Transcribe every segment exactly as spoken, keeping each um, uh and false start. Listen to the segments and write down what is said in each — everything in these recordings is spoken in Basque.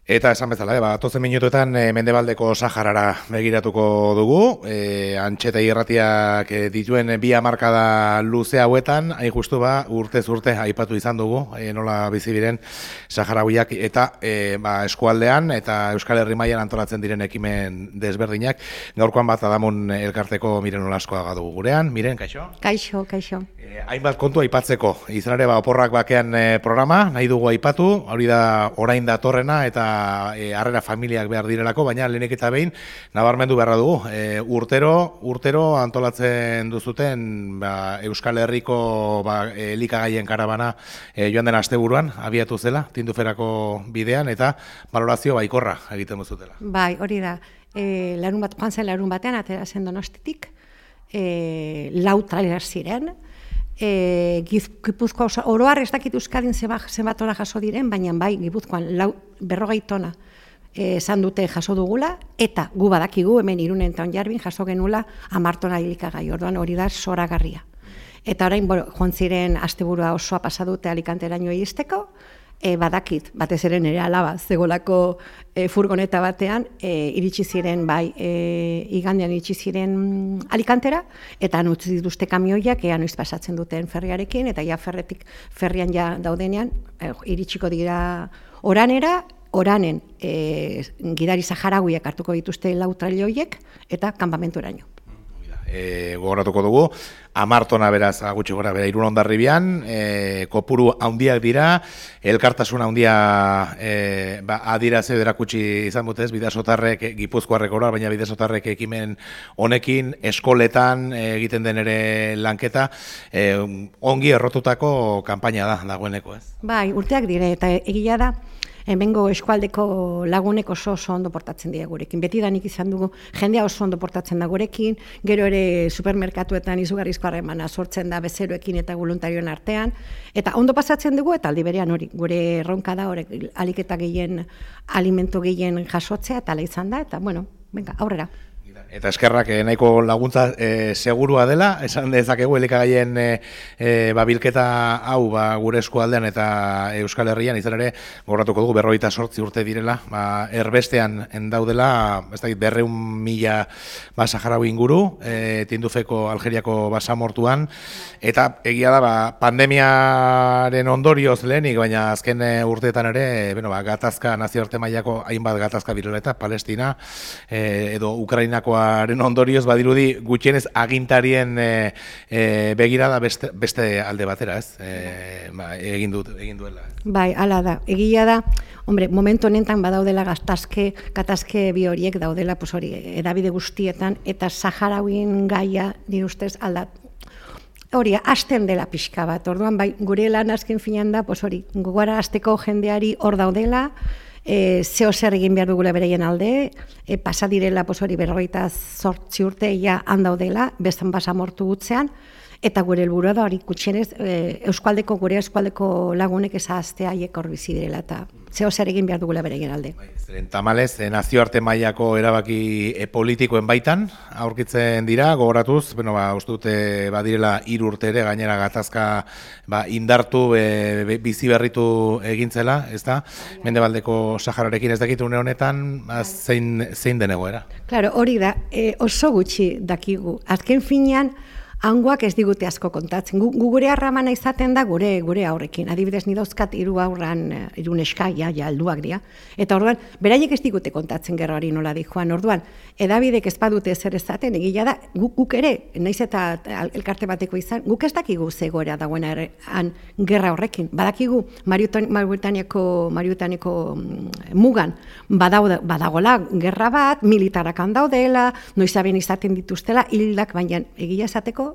Eta esan bezala, eh, ba, tozen minutuetan e, Mendebaldeko Saharara begiratuko dugu, e, antxeta irratiak e, dituen bi hamarkada luze hauetan, hain justu ba, urtez urte aipatu izan dugu, e, nola bizi diren Saharauiak eta e, ba, eskualdean eta Euskal Herri mailan antolatzen diren ekimen desberdinak. Gaurkoan bat Adamun elkarteko Miren Olaskoaga dugu gurean. Miren, kaixo? Kaixo, kaixo. E, hainbat kontu aipatzeko, izan ere ba, oporrak bakean e, programa, nahi dugu aipatu, hori da orain datorrena eta E, harrera familiak behar direlako, baina lehenik eta behin nabarmendu beharra dugu. E, urtero, urtero antolatzen duzuten ba, Euskal Herriko ba, elikagaien karabana e, joan den asteburuan abiatu zela, Tinduferako bidean, eta balorazio baikorra egiten duzutela. Bai, hori da. E, larun bat, joan zen larun batean, atera zen Donostitik, e, lau trailer ziren, E, Gipuzkoa oso, oroar ez dakit Euskadin zenbat ora jaso diren, baina bai Gipuzkoan lau, berrogei tona esan dute jaso dugula, eta gu badakigu hemen Irunen eta Onjarbin jaso genula hamar tona elikagai, orduan hori da zoragarria. Eta orain bueno, joan ziren asteburua osoa pasa dute Alicanteraino iristeko, E, badakit, batez ere nire alaba, zegolako e, furgoneta batean, e, iritsi ziren, bai, e, igandean iritsi ziren Alicantera, eta han utzi dituzte kamioiak, ea noiz pasatzen duten ferriarekin, eta ja ferretik, ferrian ja daudenean, e, iritsiko dira oranera, oranen e, gidari saharauiak hartuko dituzte lau trailoiek, eta kanpamentoraino. E, gogoratuko dugu, amartona beraz gutxi gora bera Irun Hondarribian, e, kopuru handiak dira, elkartasun handia e, ba, adirazio erakutsi izan dutez, bidasotarrek, Gipuzkoarrek ora, baina bidasotarrek ekimen honekin, eskoletan e, egiten den ere lanketa, e, ongi errotutako kanpaina da, dagoeneko, ez? Bai, urteak dire, eta egia da, hemengo eskualdeko lagunek oso oso ondo portatzen dira gurekin. Betidanik izan dugu, jendea oso ondo portatzen da gurekin, gero ere supermerkatuetan izugarrizko harremana sortzen da bezeroekin eta voluntarioen artean, eta ondo pasatzen dugu, eta aldi berean hori, gure erronka da, hori aliketa gehien, alimento gehien jasotzea, eta ala izan da, eta bueno, venga, aurrera. Eta eskerrak eh, nahiko laguntza eh, segurua dela, esan dezakegu elikagaien eh, eh, babilketa hau ba, gure eskualdean eta Euskal Herrian, izan ere, gorratuko dugu berrogeita zortzi urte direla, ba, erbestean endaudela, ez dakit, berreun mila ba, Saharaui inguru, eh, Tindufeko Algeriako basamortuan, eta egia da, ba, pandemiaren ondorioz lehenik, baina azken eh, urteetan ere, bueno, ba, gatazka, nazioarte mailako hainbat gatazka direla eta Palestina, eh, edo Ukrainako aren ondorioz badirudi gutxienez agintarien e, e, begirada beste, beste alde batera, ez? E, ba, egin, dut, egin duela. Bai, hala da. Egia da, hombre, momentu honetan badaudela gatazke, gatazke bi horiek daudela, pues hori, edabide guztietan, eta Saharauin gaia, nire ustez, aldat, hori, hasten dela pixka bat. Orduan, bai, gure lan azken finean da, pues hori, gogara hasteko jendeari hor daudela, E, zeo zer egin behar dugula bereien alde, e, pasa direla pues hori berrogeita zortzi urte ja handaudela, bestan basamortu gutzean, eta gure helburua da hori gutxienez e, Euskualdeko, gure Euskualdeko lagunek ezaztea haiek hor bizi direla, eta zeo zer egin behar dugula bereien alde. Zeren tamalez, nazioarte mailako erabaki e, politikoen baitan aurkitzen dira, gogoratuz, bueno, ba, uste dute badirela hiru urte ere gainera gatazka ba, indartu, e, bizi berritu egintzela, ez da? Mendebaldeko Sahararekin ez dakit une honetan, ba, zein, zein den egoera? Claro, hori da, e, oso gutxi dakigu. Azken finean, hangoak ez digute asko kontatzen. Gu, gu gure harramana izaten da gure gure aurrekin. Adibidez, ni dauzkat hiru aurran, hiru neska, ja, ja, alduak dira. Eta orduan, beraiek ez digute kontatzen gerrari nola di joan. Orduan, edabidek ez badute ezer ezaten, egia da, guk, guk ere, naiz eta elkarte bateko izan, guk ez dakigu zegoera dagoena han gerra horrekin. Badakigu, Mauritaniako, Mauritaniako mugan, badaude, badagola gerra bat, militarak handaudela, noizaben izaten dituztela, hildak, baina egia esateko,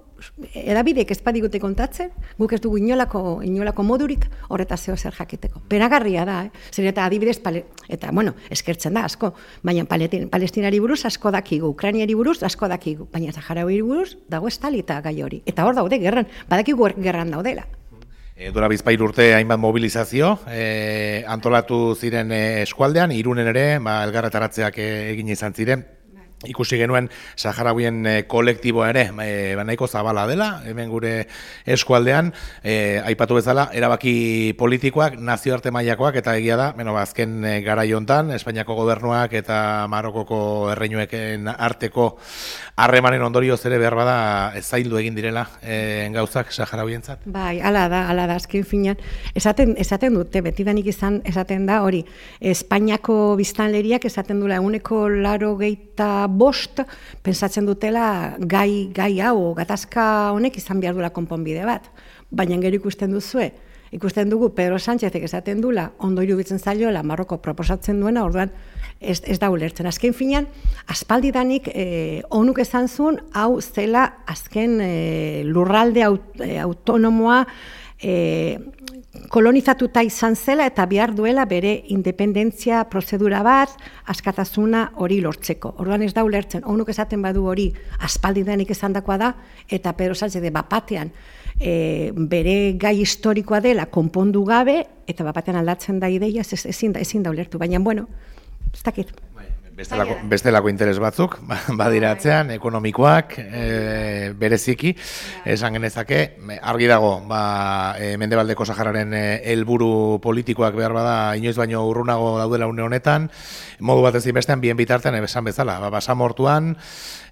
edabidek ez badigute kontatzen, guk ez dugu inolako, inolako modurik horreta zeo zer jakiteko. Peragarria da, eh? Zer eta adibidez, pale, eta bueno, eskertzen da asko, baina Palestinari buruz asko dakigu, Ukrainiari buruz asko dakigu, baina Saharauiri buruz dago estalita gai hori. Eta hor daude gerran, badakigu gerran daudela. E, Dura bizpair urte hainbat mobilizazio e, antolatu ziren e, eskualdean, Irunen ere, ba, elgarretaratzeak e, egin izan ziren. ikusi genuen saharauien e, kolektiboa ere e, nahiko zabala dela, hemen gure eskualdean, e, aipatu bezala, erabaki politikoak, nazioarte mailakoak, eta egia da, beno, azken e, garai hontan, Espainiako gobernuak eta Marokoko erreinueken arteko harremanen ondorioz ere behar bada zaildu egin direla e, gauzak saharauientzat. Bai, hala da, hala da, azken finean, esaten, esaten dute, betidanik izan, esaten da, hori, Espainiako biztanleriak esaten dula, eguneko laro geita bost, pensatzen dutela gai, gai hau, gatazka honek izan behar dula konponbide bat. Baina gero ikusten duzue, ikusten dugu Pedro Sánchezek esaten dula, ondo iruditzen zaiola Marroko proposatzen duena, orduan ez, ez da ulertzen. Azken finean, aspaldidanik eh, onuk esan zuen, hau zela azken eh, lurralde aut, eh, autonomoa eh, kolonizatuta izan zela eta behar duela bere independentzia prozedura bat, askatasuna hori lortzeko. Orduan ez da ulertzen, honuk esaten badu hori aspaldidanik esandakoa da, eta Pedro Sánchez de bapatean e, bere gai historikoa dela konpondu gabe, eta bapatean aldatzen da ideia, ez, ezin, da, ezin da ulertu. Baina, bueno, ez dakit. Bestelako, bestelako interes batzuk, badiratzean, ekonomikoak, e, bereziki, esan genezake, argi dago, ba, e, Mendebaldeko Sahararen helburu politikoak behar bada, inoiz baino urrunago daudela une honetan, modu bat ezin bestean, bien bitartean, esan bezala, ba, basamortuan,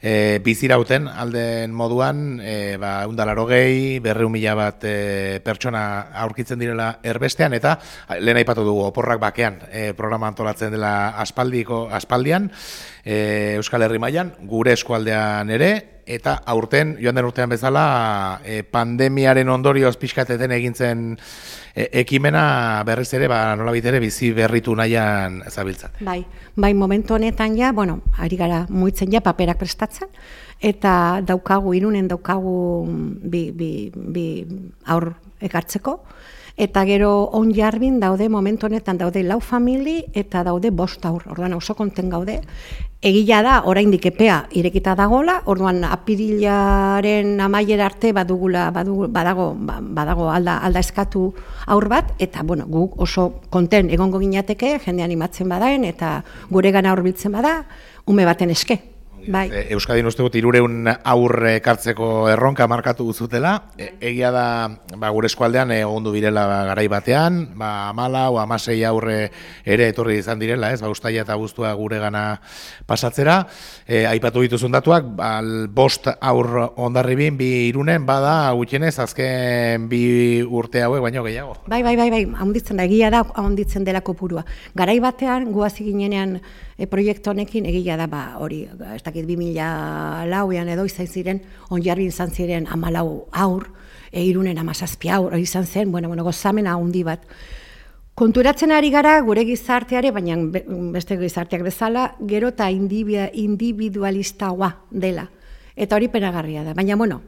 e, bizirauten alden moduan, e, ba, eundalaro gehi, berreun mila bat e, pertsona aurkitzen direla erbestean, eta lehen aipatu dugu, oporrak bakean, e, programa antolatzen dela aspaldiko, aspaldian, E, Euskal Herri mailan, gure eskualdean ere, eta aurten, joan den urtean bezala, e, pandemiaren ondorioz pixkateten egintzen e, ekimena berriz ere, ba, nolabait ere bizi berritu nahian zabiltzat. Bai, bai, momentu honetan ja, bueno, ari gara muitzen ja paperak prestatzen, eta daukagu, Irunen daukagu bi, bi, bi aur ekartzeko, eta gero Onjarbin daude, momentu honetan daude lau famili eta daude bost aur, orduan oso konten gaude. Egia da, oraindik epea irekita dagola, orduan apirilaren amaiera arte badugula, badugu, badago, badago alda, alda eskatu aur bat, eta bueno, guk oso konten egongo ginateke, jende animatzen badaen, eta gure gana hurbiltzen bada, ume baten eske. Bai. Euskadin uste dut hirureun aurre ekartzeko erronka markatu zutela. E, egia da ba, gure eskualdean egondu birela garai batean, ba, amala o amasei aurre ere etorri izan direla, ez? Ba, ustaila eta abuztua gure gana pasatzera. E, aipatu dituzun datuak, ba, bost aur Hondarribin, bi Irunen, bada gutxienez azken bi urte hauek baino gehiago. Bai, bai, bai, bai, handitzen da, egia da handitzen dela kopurua. Garai batean, guazi ginenean e, proiektu honekin, egia da, ba, hori, ez dakit bi mila lauean edo izan ziren, Onjarbin izan ziren hamalau aur, e, Irunen hamazazpi aur, izan zen, bueno, bueno, gozamena handi bat. Konturatzen ari gara gure gizarteare, baina beste gizarteak bezala, gero eta individualistagoa dela. Eta hori penagarria da, baina, bueno,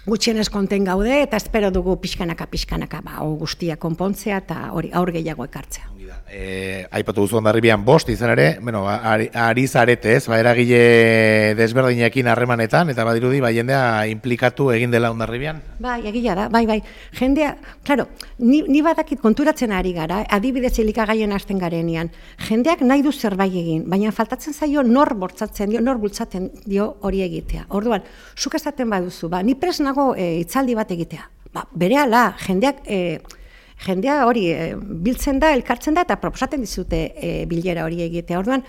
gutxienez konten gaude, eta espero dugu pixkanaka, pixkanaka, ba, guztia konpontzea, eta hori aur gehiago ekartzea. E, aipatu duzu Hondarribian bost izan ere, bueno, ari, ari zarete ez, ba, eragile desberdinekin harremanetan, eta badirudi, ba, jendea implikatu egin dela Hondarribian? Bai, egia da, bai, bai. Jendea, claro, ni, ni badakit konturatzen ari gara, adibidez elikagaien hasten garenean, jendeak nahi du zerbait egin, baina faltatzen zaio nor bortzatzen dio, nor bultzatzen dio hori egitea. Orduan, zuk esaten baduzu, ba, ni pres nago e, hitzaldi bat egitea. Ba, berehala, jendeak... E, Jendea hori e, biltzen da, elkartzen da, eta proposaten dizute e, bilera hori egitea. Orduan,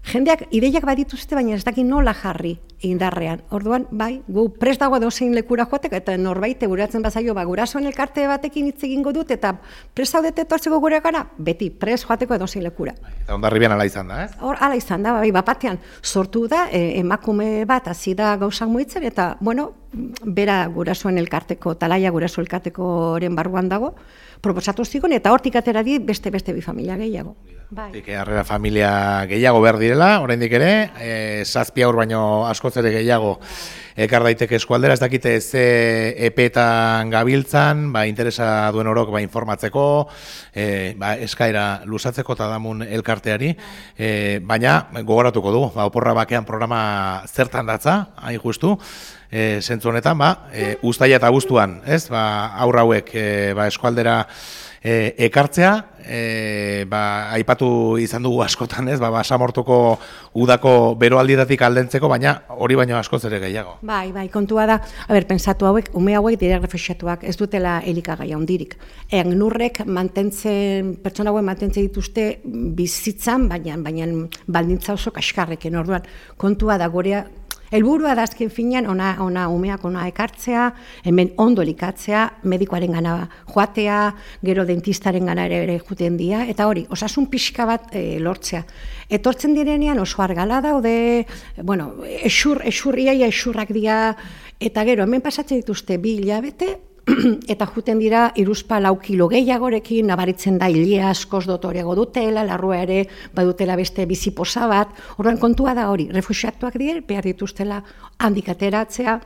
jendeak ideiak badituzte, baina ez daki nola jarri indarrean. Orduan, bai, gu prest dago dozein lekura joatek, eta norbait eguratzen bazaio, ba, gurasoen elkarte batekin hitz egingo dut, eta prest zaudete etortzeko gure gara, beti, prest joateko dozein lekura. Eta Hondarribian ala izan da, ez? Hor, ala izan da, bai, bapatean sortu da, e, emakume bat hasi da gauzak muitzen, eta, bueno, bera gurasoen elkarteko, talaia guraso elkartekoren barruan dago, proposatu zigon, eta hortik atera di beste-beste bi familia gehiago. Bai. Harrera familia gehiago behar direla, oraindik ere, e, zazpi aur baino askoz ere gehiago ekar daiteke eskualdera, ez dakite ze epetan gabiltzan, ba, interesa duen orok ba, informatzeko, e, ba, eskaera luzatzeko eta damun elkarteari, e, baina gogoratuko dugu, ba, oporra bakean programa zertan datza, hain justu, E, zentzu honetan, ba, e, uztaila eta abuztuan, ez, ba, aurra hauek e, ba, eskualdera e, ekartzea, e, ba, aipatu izan dugu askotan, ez, ba, Basamortuko udako beroaldietatik aldentzeko, baina hori baino askoz ere gehiago. Bai, bai, kontua da, a ber, pensatu hauek, ume hauek dire refuxiatuak, ez dutela elikagaia hondirik. Ean nurrek mantentzen, pertsona hauek mantentzen dituzte bizitzan, baina, baina baldintza oso kaskarrekin, orduan, kontua da gorea, helburua da azken finean, ona, ona umeak ona ekartzea, hemen ondo elikatzea, medikoaren gana joatea, gero dentistaren gana ere ere juten dira, eta hori, osasun pixka bat e, lortzea. Etortzen direnean oso argala daude, bueno, esur, esurriaia esurrak dira, eta gero hemen pasatzen dituzte bi hilabete, eta juten dira iruzpa lau kilo gehiagorekin, nabaritzen da hilia askoz dotoriago dutela, larrua ere badutela beste biziposa bat, orduan kontua da hori, refuxiatuak dire, behar dituztela handik ateratzea,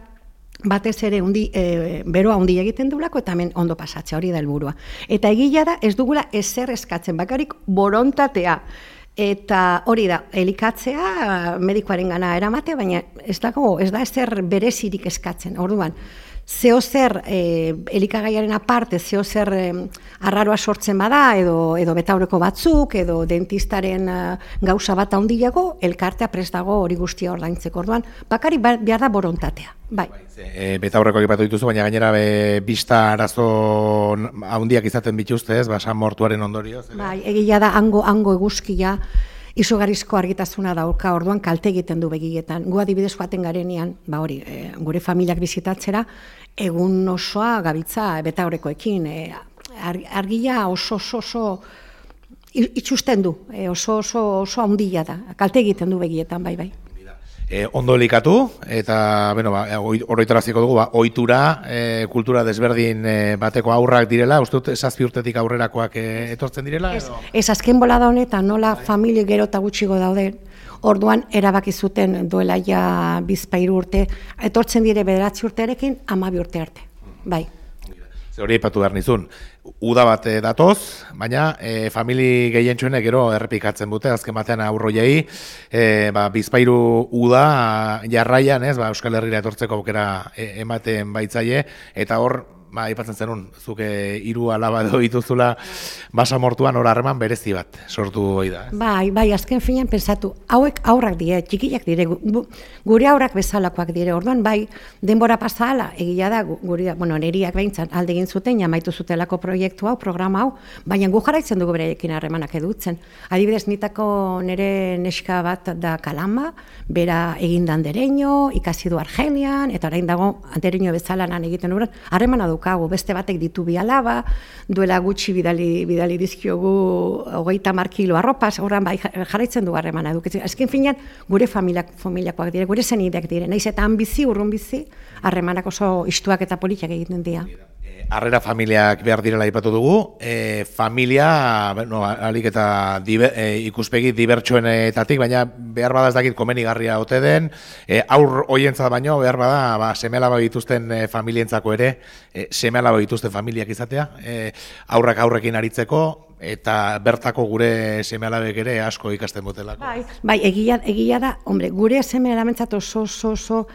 batez ere undi, e, beroa handia egiten dugulako, eta hemen ondo pasatzea, hori da helburua. Eta egila da, ez dugula ezer eskatzen, bakarrik borontatea. Eta hori da, elikatzea medikoaren gana eramate, baina ez dago, ez da ezer berezirik eskatzen, orduan. Zeo zer e, elikagaiaren aparte, zeo zer e, arraroa sortzen bada, edo, edo betaurreko batzuk, edo dentistaren uh, gauza bat handiago, elkartea prest dago hori guztia ordaintzeko. Orduan, bakari behar da borontatea. Bai. E, betaurreko egipatu dituzu, baina gainera be, bista arazo handiak izaten bituzte, ez, Basamortuaren ondorioz. Bai, egia da, hango, hango eguzkia, izugarrizko argitasuna dauka, orduan kalte egiten du begietan. Gu adibidez joaten garenean, ba hori, e, gure familiak bizitatzera, egun osoa gabitza betaurrekoekin, e, argia oso oso oso itxusten du, e, oso oso oso handia da, kalte egiten du begietan, bai bai. E, ondo elikatu, eta bueno, ba, oroitaraziko dugu, ba, ohitura, e, kultura desberdin e, bateko aurrak direla, uste dut zazpi urtetik aurrerakoak e, etortzen direla? Ez, ez azken bolada honetan, nola familia gero eta gutxigo daude, orduan erabaki zuten duela ja bizpahiru urte, etortzen dire bederatzi urtearekin, hamabi urte arte, bai. Hori aipatu behar nizun, uda bat datoz, baina e, famili gehientsuenek gero errepikatzen dute, azken batean aurroiei, e, ba, bizpahiru uda jarraian, ez, ba, Euskal Herrira etortzeko aukera e, ematen baitzaie, eta hor, ba, aipatzen zenun, zuke hiru alaba edo dituzula Basamortuan hor harreman berezi bat sortu hori da. Ez? Bai, bai, azken finean pensatu, hauek aurrak dire, txikiak dire, gure aurrak bezalakoak dire, orduan bai, denbora pasala, egia da, gure, bueno, neriak behintzan alde egin zuten, jamaitu zutelako proiektu hau, programa hau, baina gu jarraitzen dugu bereekin harremanak edutzen. Adibidez, nitako nire neska bat da Kalama, bera egindan dereño, ikasi du Argelian, eta orain dago dereño bezala lan egiten dugu, harremana dukagu, beste batek ditu bi alaba, duela gutxi bidali, bidali dizkiogu hogeita hamar kilo arropaz, horren bai jarraitzen du harremana edukitzen. Azken finean, gure familiak, familiakoak dire, gure zenideak dire, naiz eta han bizi, urrun bizi, harremanak oso istuak eta politak egiten dira. Harrera familiak behar direla aipatu dugu, e, familia, bueno, alik eta dibe, e, ikuspegi dibertsuenetatik, baina behar bada ez dakit komenigarria ote den, e, aur hoientzat baino, behar bada, ba, seme-alaba dituzten e, familientzako ere, e, seme-alaba dituzten familiak izatea, e, aurrak aurrekin aritzeko, eta bertako gure seme-alabek ere asko ikasten botelako. Bai, bai egia, egia da, hombre, gure seme-alamentzat oso, oso, oso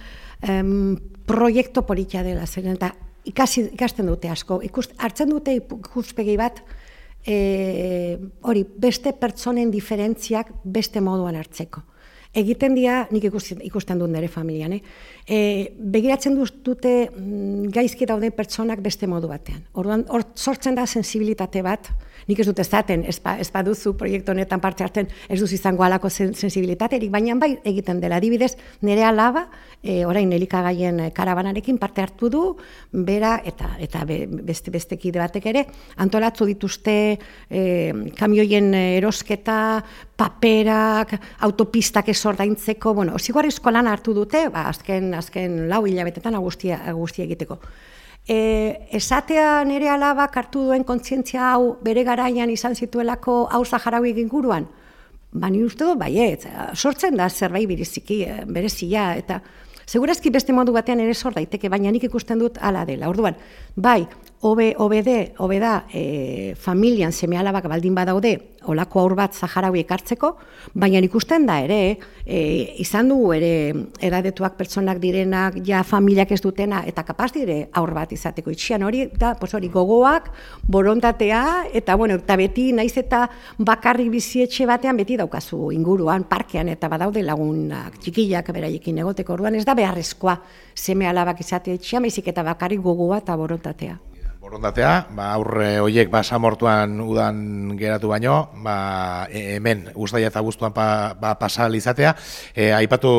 um, proiektu politia dela, zen, eta Ikasi, ikasten dute asko, Ikust, hartzen dute ikuspegi bat, e, hori, beste pertsonen diferentziak beste moduan hartzeko. Egiten dira, nik ikusten, ikusten dut nire familian, eh? E, begiratzen dute gaizki daude pertsonak beste modu batean. Orduan, hor sortzen da sensibilitate bat, nik ez dut ezaten, ez baduzu proiektu honetan parte hartzen, ez duz izango halako sensibilitaterik, baina bai egiten dela. Adibidez, nire alaba, e, orain elikagaien karabanarekin parte hartu du, bera eta eta be, beste beste kide batek ere, antolatu dituzte e, kamioien erosketa, paperak, autopistak ez ordaintzeko, bueno, zigorrizko lan hartu dute, ba, azken, azken lau hilabetetan guztia, guztia egiteko. E, esatea nire alabak hartu duen kontzientzia hau bere garaian izan zituelako hau Zaharauik inguruan? Ba, ni uste dut, baiet, sortzen da zerbait bereziki, berezia, eta segurazki beste modu batean ere sor daiteke, baina nik ikusten dut hala dela. Orduan, bai, hobe hobede hobeda e, familian seme alabak baldin badaude olako aur bat Saharaui ekartzeko, baina ikusten da ere, e, izan dugu ere edadetuak pertsonak direnak, ja familiak ez dutena, eta kapaz dire aur bat izateko itxian hori, da, pues hori gogoak, borontatea, eta bueno, eta beti naiz eta bakarrik bizietxe batean beti daukazu inguruan, parkean, eta badaude lagunak, txikillak beraiekin egoteko orduan, ez da beharrezkoa seme alabak izatea itxian, baizik eta bakarrik gogoa eta borontatea. Borondatea, ba, aurre horiek basamortuan udan geratu baino, ba, e, hemen uztaila eta abuztuan pa, ba, pasal izatea, e, aipatu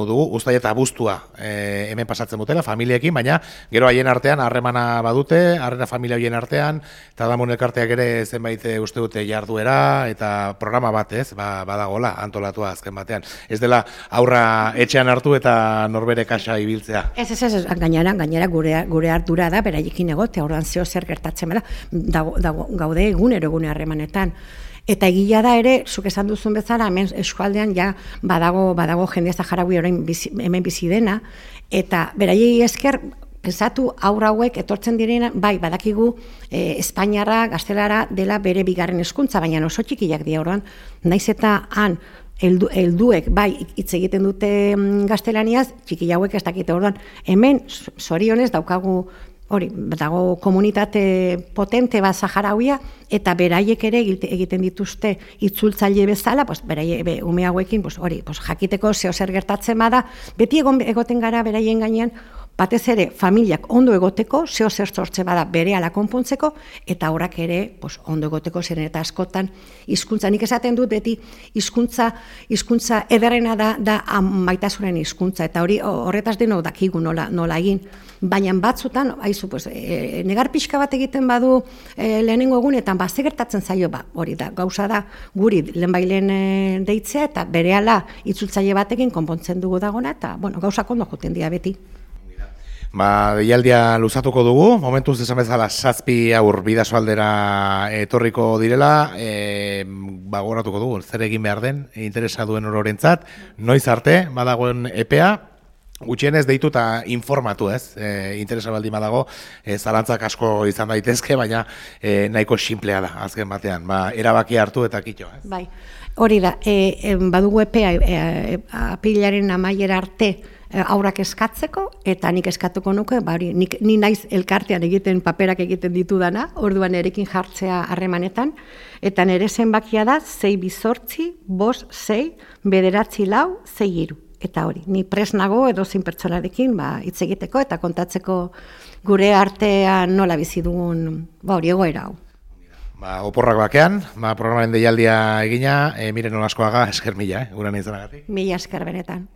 dugu uztaila eta abuztua e, hemen pasatzen dutela, familiekin, baina gero haien artean harremana badute, harrena familia horien artean, eta damun elkarteak ere zenbait uste dute jarduera, eta programa bat ez, ba, badagola, antolatua azken batean. Ez dela aurra etxean hartu eta norbere kasa ibiltzea. Ez, ez, ez, gainera, gainera gure, gure ardura da, beraiekin egote, aurran zeo zer gertatzen bera, dago, dago, gaude egunero egune harremanetan. Eta egia da ere, zuk esan duzun bezala, hemen eskualdean ja badago, badago jende Saharaui orain bizi, hemen bizi dena, eta beraiei esker, pensatu aurra hauek etortzen direna, bai, badakigu e, Espainiarra, gaztelara dela bere bigarren hezkuntza, baina oso txikiak dira orduan, naiz eta han Eldu, elduek, bai, hitz egiten dute gaztelaniaz, txiki hauek ez dakite orduan. Hemen, zorionez, daukagu, hori, dago komunitate potente bat Saharauia, eta beraiek ere egiten dituzte itzultzaile bezala, pues, beraie, be, ume hauekin, pues, hori, pues, jakiteko zeo zer gertatzen bada, beti egon, egoten gara beraien gainean, batez ere, familiak ondo egoteko, zeo zer sortze bada berehala konpontzeko, eta horrak ere pues, ondo egoteko zeren eta askotan hizkuntza. Nik esaten dut beti hizkuntza hizkuntza ederrena da, da maitasunen hizkuntza, eta hori horretaz deno dakigu nola, nola egin. Baina batzutan, haizu, pues, e, negar pixka bat egiten badu e, lehenengo egunetan, ba, ze gertatzen zaio, ba, hori da, gauza da, guri lehenbailen e, deitzea, eta berehala itzultzaile batekin konpontzen dugu dagona, eta, bueno, gauzak ondo joten dira beti. Ba, deialdia luzatuko dugu, momentuz esan bezala zazpi aur bidasoaldera etorriko direla, e, ba, goratuko dugu, zer egin behar den, interesa duen ororentzat, noiz arte, badagoen epea, gutxienez deitu eta informatu ez, e, interesa baldin badago, e, zalantzak asko izan daitezke, baina e, nahiko sinplea da, azken batean, ba, erabaki hartu eta kitxo. Ez? Bai, hori da, e, e, badugu epea e, e, apilaren amaiera arte, aurak eskatzeko, eta nik eskatuko nuke, ba, hori, nik, ni naiz elkartean egiten paperak egiten ditudana, orduan erekin jartzea harremanetan, eta nire zenbakia da, sei bizortzi, bos, sei, bederatzi lau, sei hiru. Eta hori, ni presnago edo zein pertsonarekin ba, hitz egiteko eta kontatzeko gure artean nola bizi dugun ba, hori egoera hau. Ba, oporrak bakean, ba, programaren deialdia egina, e, miren olaskoaga esker mila, eh, guran izanagatik. Mila esker benetan.